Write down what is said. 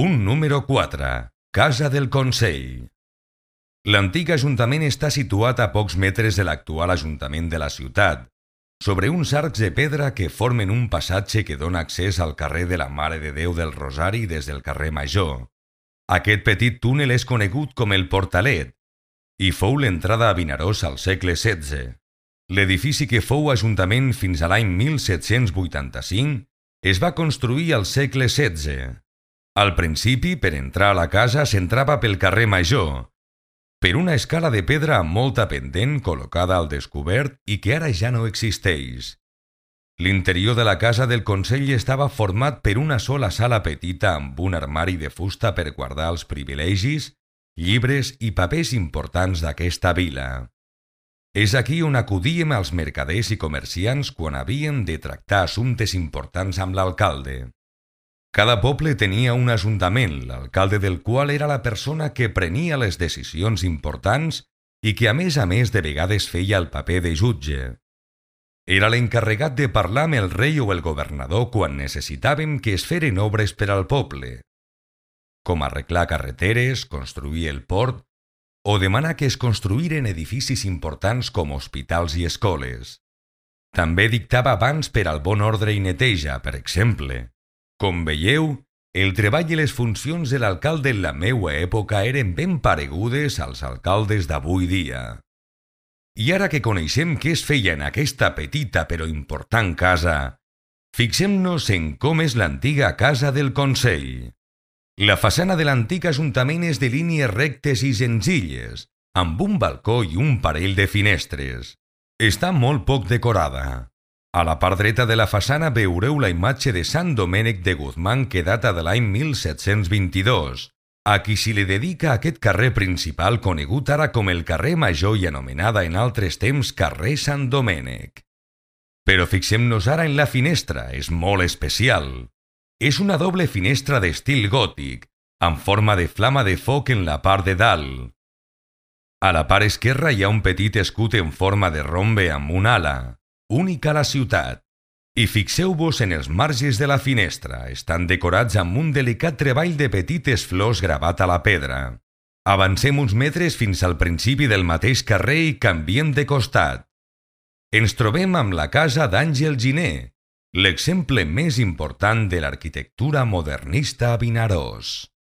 Punt número 4. Casa del Consell. L'antic ajuntament està situat a pocs metres de l'actual ajuntament de la ciutat, sobre uns arcs de pedra que formen un passatge que dona accés al carrer de la Mare de Déu del Rosari des del carrer Major. Aquest petit túnel és conegut com el Portalet i fou l'entrada a Vinaròs al segle XVI. L'edifici que fou ajuntament fins a l'any 1785 es va construir al segle XVI. Al principi, per entrar a la casa s'entrava pel carrer Major, per una escala de pedra amb molta pendent col·locada al descobert i que ara ja no existeix. L'interior de la casa del Consell estava format per una sola sala petita amb un armari de fusta per guardar els privilegis, llibres i papers importants d'aquesta vila. És aquí on acudíem els mercaders i comerciants quan havien de tractar assumptes importants amb l'alcalde. Cada poble tenia un ajuntament, l'alcalde del qual era la persona que prenia les decisions importants i que a més de vegades feia el paper de jutge. Era l'encarregat de parlar amb el rei o el governador quan necessitàvem que es feren obres per al poble, com arreglar carreteres, construir el port o demanar que es construïren edificis importants com hospitals i escoles. També dictava bans per al bon ordre i neteja, per exemple. Com veieu, el treball i les funcions de l'alcalde en la meua època eren ben paregudes als alcaldes d'avui dia. I ara que coneixem què es feia en aquesta petita però important casa, fixem-nos en com és l'antiga casa del Consell. La façana de l'antic ajuntament és de línies rectes i senzilles, amb un balcó i un parell de finestres. Està molt poc decorada. A la part dreta de la façana veureu la imatge de Sant Domènec de Guzmán que data de l'any 1722, a qui s'hi li dedica aquest carrer principal conegut ara com el carrer Major i anomenada en altres temps carrer Sant Domènec. Però fixem-nos ara en la finestra, és molt especial. És una doble finestra d'estil gòtic, amb forma de flama de foc en la part de dalt. A la part esquerra hi ha un petit escut en forma de rombe amb un ala, única a la ciutat. I fixeu-vos en els marges de la finestra, estan decorats amb un delicat treball de petites flors gravat a la pedra. Avancem uns metres fins al principi del mateix carrer i canviem de costat. Ens trobem amb la casa d'Àngel Giner, l'exemple més important de l'arquitectura modernista a Vinaròs.